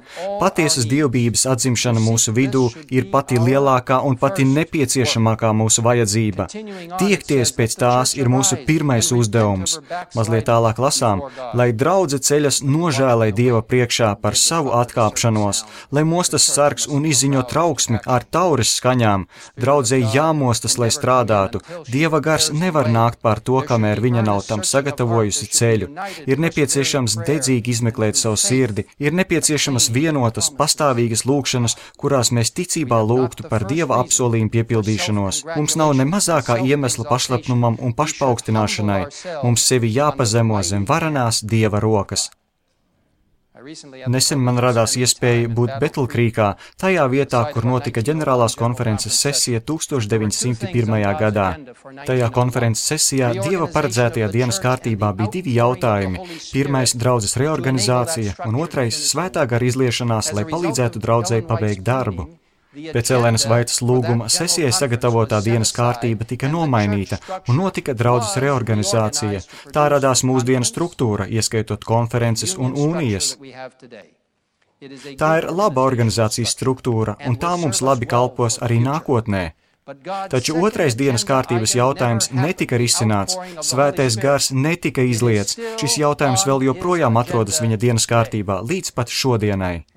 Patiesas dievbības atzimšana mūsu vidū ir pati lielākā un pati nepieciešamākā mūsu vajadzība. Tiekties pēc tās ir mūsu pirmais uzdevums. Mazliet tālāk lasām: lai draudze ceļas nožēlai Dieva priekšā par savu atkāpšanos, lai mostas sargs un izziņo trauksmi ar taures skaņām. Draudzei jāmostas, lai strādātu. Dieva gars nevar nākt pār to, kamēr viņa nav tam sagatavojusi ceļu. Ir nepieciešams dedzīgi izmeklēt savu sirdi, ir nepieciešamas vienotas, pastāvīgas lūgšanas, kurās mēs ticībā lūgtu par Dieva apsolījumu piepildīšanos. Mums nav ne mazākā iemesla pašlepnumam un pašpaukstināšanai. Mums sevi jāpazemo zem varenās Dieva rokas. Nesen man radās iespēja būt Betlkrīkā, tajā vietā, kur notika ģenerālās konferences sesija 1901. gadā. Tajā konferences sesijā Dieva paredzētajā dienas kārtībā bija 2 jautājumi. Pirmais – draudzes reorganizācija, un otrais – svētā gara izliešanās, lai palīdzētu draudzei pabeigt darbu. Pēc Elenas Vaitas lūguma sesijai sagatavotā dienas kārtība tika nomainīta un notika draudzes reorganizācija. Tā radās mūsdienu struktūra, ieskaitot konferences un unijas. Tā ir laba organizācijas struktūra, un tā mums labi kalpos arī nākotnē. Taču otrais dienas kārtības jautājums netika risināts, svētais gars netika izliets. Šis jautājums vēl joprojām atrodas viņa dienas kārtībā līdz pat šodienai.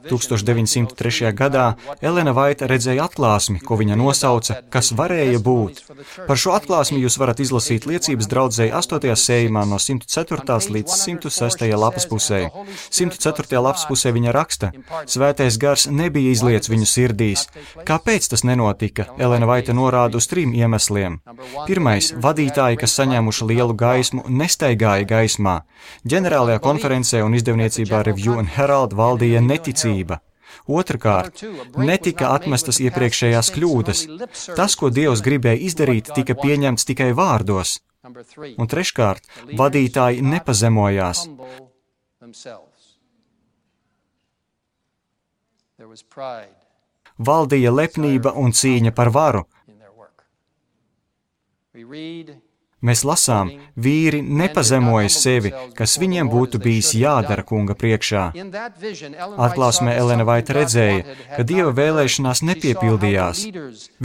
1903. gadā Elena Vaita redzēja atklāsmi, ko viņa nosauca, kas varēja būt. Par šo atklāsmi jūs varat izlasīt liecības draudzei 8. sējumā no 104. līdz 106. lapas pusē. 104. lapas pusē viņa raksta: Svētais gars nebija izliets viņu sirdīs. Kāpēc tas nenotika? Elena Vaita norāda uz 3 iemesliem. Pirmais – vadītāji, kas saņēmuši lielu gaismu, nestaigāja gaismā. Ģenerālajā konferencē un izdevniecībā Review and Herald valdīja neticība. Otrakārt, netika atmestas iepriekšējās kļūdas. Tas, ko Dievs gribēja izdarīt, tika pieņemts tikai vārdos. Un treškārt, vadītāji nepazemojās. Valdīja lepnība un cīņa par varu. Mēs lasām, vīri nepazemoja sevi, kas viņiem būtu bijis jādara kunga priekšā. Atklāsmē Elena Vaita redzēja, ka Dieva vēlēšanās nepiepildījās.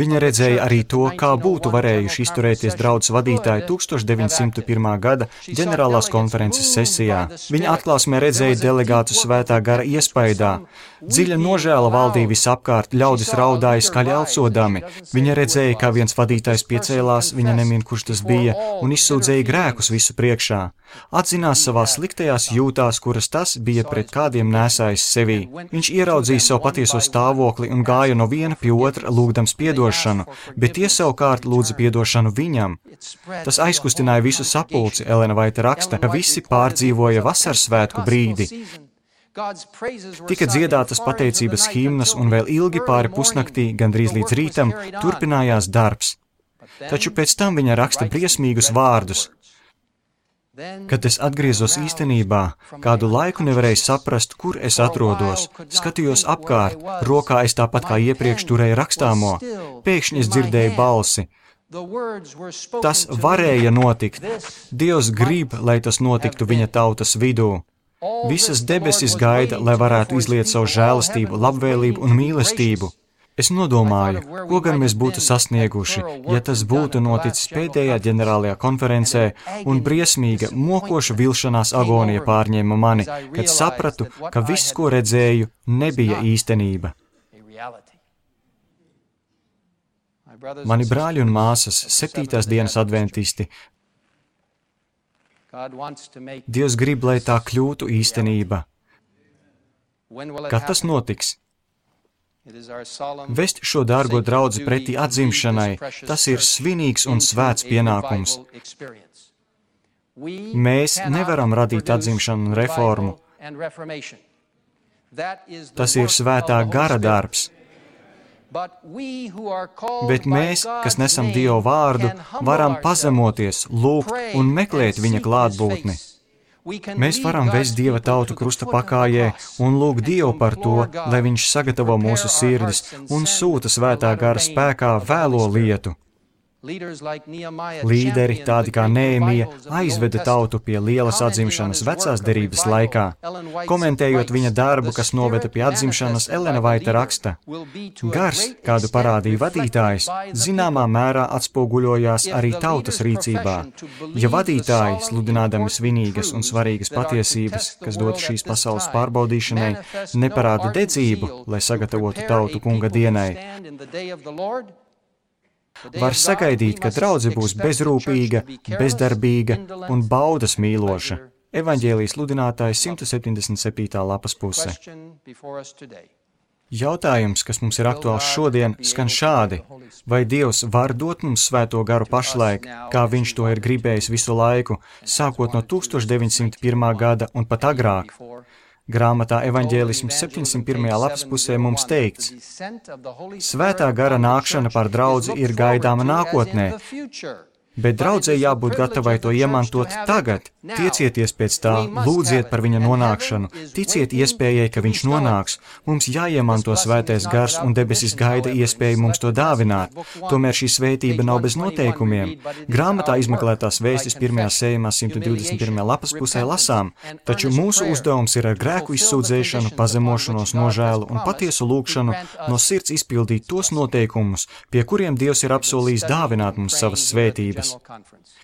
Viņa redzēja arī to, kā būtu varējuši izturēties draudzes vadītāji 1901. gada ģenerālās konferences sesijā. Viņa atklāsmē redzēja delegātu svētā gara iespaidā. Dziļa nožēla valdīja visapkārt, ļaudis raudāja skaļi elcodami. Viņa redzēja, kā viens vadītājs piecēlās, viņa nemin, kurš tas bija, un izsūdzēja grēkus visu priekšā. Atzinās savās sliktajās jūtās, kuras tas bija pret kādiem nēsājis sevī. Viņš ieraudzīja savu patieso stāvokli un gāja no viena pie otra, lūgdams piedošanu, bet tie savukārt lūdza piedošanu viņam. Tas aizkustināja visu sapulci. Elena Vaita raksta, ka visi pārdzīvoja vasarsvētku brīdi. Tika dziedātas pateicības himnas un vēl ilgi pāri pusnaktī, gandrīz līdz rītam, turpinājās darbs. Taču pēc tam viņa raksta briesmīgus vārdus. Kad es atgriezos īstenībā, kādu laiku nevarēju saprast, kur es atrodos. Skatījos apkārt, rokā es tāpat kā iepriekš turēju rakstāmo. Pēkšņi es dzirdēju balsi. Tas varēja notikt. Dievs grib, lai tas notiktu viņa tautas vidū. Visas debesis gaida, lai varētu izliet savu žēlastību, labvēlību un mīlestību. Es nodomāju, ko gan mēs būtu sasnieguši, ja tas būtu noticis pēdējā ģenerālajā konferencē un briesmīga, mokoša vilšanās agonija pārņēma mani, kad sapratu, ka viss, ko redzēju, nebija īstenība. Mani brāļi un māsas, 7. dienas adventisti, Dievs grib, lai tā kļūtu īstenība. Kad tas notiks? Vest šo dārgo draudzi pretī atzimšanai, tas ir svinīgs un svēts pienākums. Mēs nevaram radīt atzimšanu un reformu. Tas ir svētā gara darbs. Bet mēs, kas nesam Dievu vārdu, varam pazemoties, lūgt un meklēt viņa klātbūtni. Mēs varam vest Dieva tautu krusta pakājē un lūgt Dievu par to, lai viņš sagatavo mūsu sirdis un sūta svētā gara spēkā vēlo lietu. Līderi, tādi kā Nehemija, aizveda tautu pie lielas atzimšanas vecās derības laikā. Komentējot viņa darbu, kas noveda pie atzimšanas, Elena Vaita raksta: Gars, kādu parādīja vadītājs, zināmā mērā atspoguļojās arī tautas rīcībā. Ja vadītāji, sludinādami svinīgas un svarīgas patiesības, kas dod šīs pasaules pārbaudīšanai, neparāda dedzību, lai sagatavotu tautu kunga dienai, var sagaidīt, ka draudze būs bezrūpīga, bezdarbīga un baudas mīloša. Evaņģēlijas sludinātājs 177. lapas puse. Jautājums, kas mums ir aktuāls šodien, skan šādi: vai Dievs var dot mums svēto garu pašlaik, kā viņš to ir gribējis visu laiku, sākot no 1901. gada un pat agrāk? Grāmatā Evaņģēlisms 701. lapas pusē mums teikts: Svētā gara nākšana par draudzi ir gaidāma nākotnē, bet draudzei jābūt gatavai to iemantot tagad. Tiecieties pēc tā, lūdziet par viņa nonākšanu, ticiet iespējai, ka viņš nonāks. Mums jāiemanto svētais gars un debesis gaida iespēju mums to dāvināt. Tomēr šī svētība nav bez noteikumiem. Grāmatā izmeklētās vēstis 1. sējumā 121. lapas pusē lasām: taču mūsu uzdevums ir ar grēku izsūdzēšanu, pazemošanos, nožēlu un patiesu lūgšanu no sirds izpildīt tos noteikumus, pie kuriem Dievs ir apsolījis dāvināt mums savas svētības.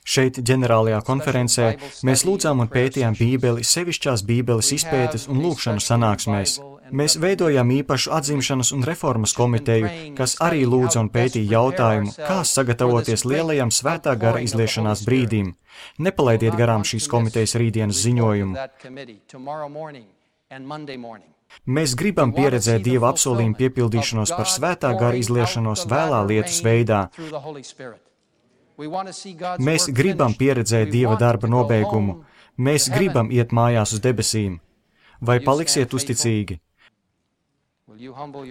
Šeit, ģenerālajā konferencē, mēs lūdzām un pētījām Bībeli, sevišķās Bībeles izpētes un lūgšanu sanāksmēs. Mēs veidojām īpašu atzimšanas un reformas komiteju, kas arī lūdza un pētīja jautājumu, kā sagatavoties lielajam svētā gara izliešanās brīdim. Nepalaidiet garām šīs komitejas rītdienas ziņojumu. Mēs gribam pieredzēt Dieva apsolījumu piepildīšanos par svētā gara izliešanos vēlā lietus veidā. Mēs gribam pieredzēt Dieva darba nobeigumu. Mēs gribam iet mājās uz debesīm. Vai paliksiet uzticīgi?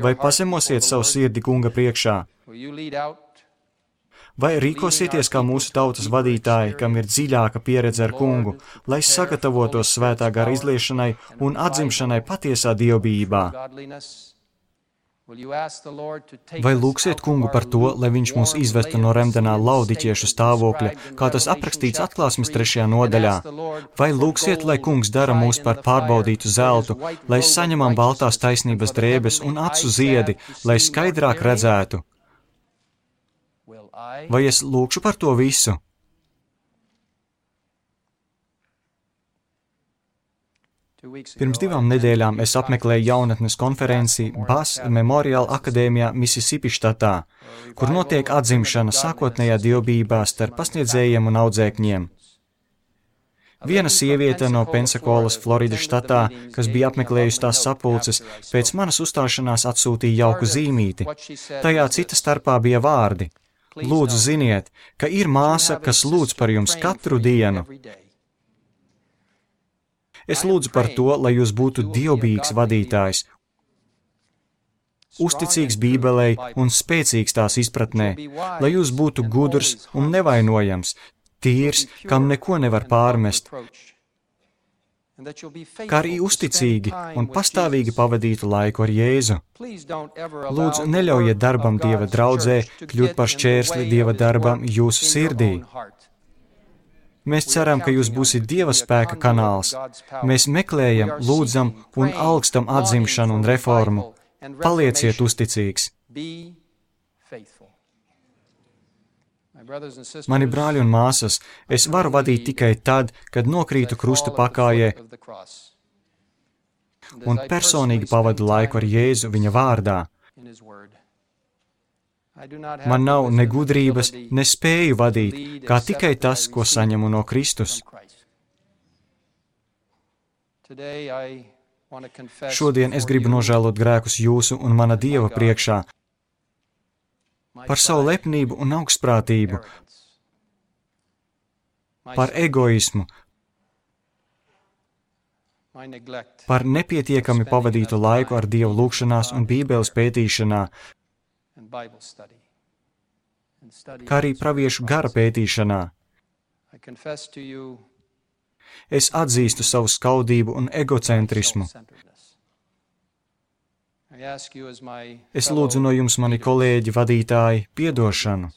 Vai pazemosiet savu sirdi kunga priekšā? Vai rīkosieties kā mūsu tautas vadītāji, kam ir dziļāka pieredze ar kungu, lai sagatavotos svētā gara izliešanai un atzimšanai patiesā dievbijībā? Vai lūgsiet kungu par to, lai viņš mūs izvestu no remdenā laudiķiešu stāvokļa, kā tas aprakstīts Atklāsmes 3. nodaļā? Vai lūgsiet, lai kungs dara mūs par pārbaudītu zeltu, lai saņemam baltās taisnības drēbes un acu ziedi, lai skaidrāk redzētu? Vai es lūgšu par to visu? Pirms 2 nedēļām es apmeklēju jaunatnes konferenci Bass Memorial Akadēmijā Mississippi štatā, kur notiek atzimšana sākotnējā dievbijībā starp pasniedzējiem un audzēkņiem. Viena sieviete no Pensakolas, Floridas štatā, kas bija apmeklējusi tās sapulces, pēc manas uzstāšanās atsūtīja jauku zīmīti. Tajā cita starpā bija vārdi: Lūdzu, ziniet, ka ir māsa, kas lūdz par jums katru dienu. Es lūdzu par to, lai jūs būtu dievbijīgs vadītājs, uzticīgs Bībelei un spēcīgs tās izpratnē, lai jūs būtu gudrs un nevainojams, tīrs, kam neko nevar pārmest, kā arī uzticīgi un pastāvīgi pavadītu laiku ar Jēzu. Lūdzu, neļaujiet darbam Dieva draudzē kļūt par šķērsli Dieva darbam jūsu sirdī. Mēs ceram, ka jūs būsiet Dieva spēka kanāls. Mēs meklējam, lūdzam un alkstam atzimšanu un reformu. Palieciet uzticīgs! Mani brāļi un māsas, es varu vadīt tikai tad, kad nokrītu krusta pakājē un personīgi pavadu laiku ar Jēzu viņa vārdā. Man nav ne gudrības, ne spēju vadīt, kā tikai tas, ko saņemu no Kristus. Šodien es gribu nožēlot grēkus jūsu un mana Dieva priekšā par savu lepnību un augstprātību, par egoismu, par nepietiekami pavadītu laiku ar Dievu lūgšanās un Bībeles pētīšanā, kā arī praviešu gara pētīšanā. Es atzīstu savu skaudību un egocentrismu. Es lūdzu no jums, mani kolēģi, vadītāji, piedošanu.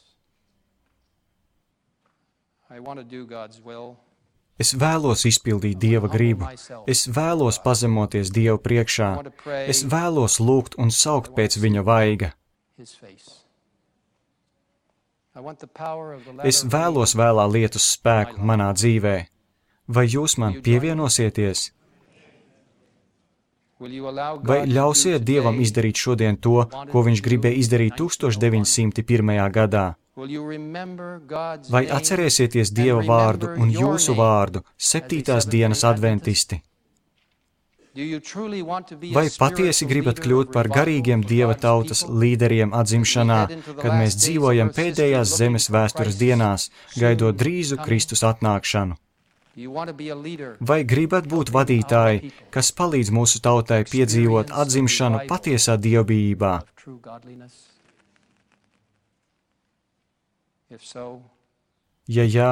Es vēlos izpildīt Dieva gribu. Es vēlos pazemoties Dievu priekšā. Es vēlos lūgt un saukt pēc viņa vaiga. Es vēlos vēlā lietus spēku manā dzīvē. Vai jūs man pievienosieties? Vai ļausiet Dievam izdarīt šodien to, ko viņš gribēja izdarīt 1901. gadā? Vai atcerēsieties Dieva vārdu un jūsu vārdu, 7. dienas adventisti? Vai patiesi gribat kļūt par garīgiem Dieva tautas līderiem atzimšanā, kad mēs dzīvojam pēdējās zemes vēstures dienās, gaidot drīzu Kristus atnākšanu? Vai gribat būt vadītāji, kas palīdz mūsu tautai piedzīvot atzimšanu patiesā dievbijībā? Ja jā,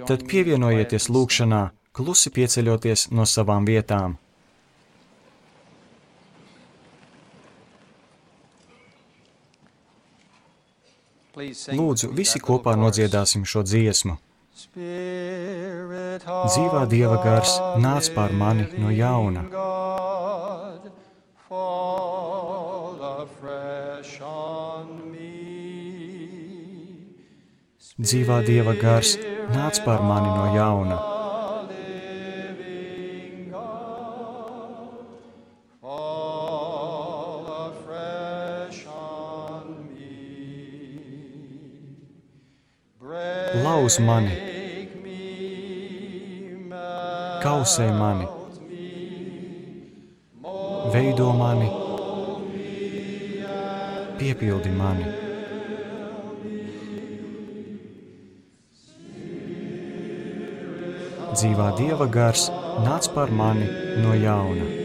tad pievienojieties lūgšanā, klusi pieceļoties no savām vietām. Lūdzu, visi kopā nodziedāsim šo dziesmu. Dzīvā Dieva gars, nāc pār mani no jauna. Dzīvā Dieva gars, nāc pār mani no jauna. Lauz mani, kausē mani, veido mani, piepildi mani. Dzīvā Dieva gars, nāc par mani no jauna.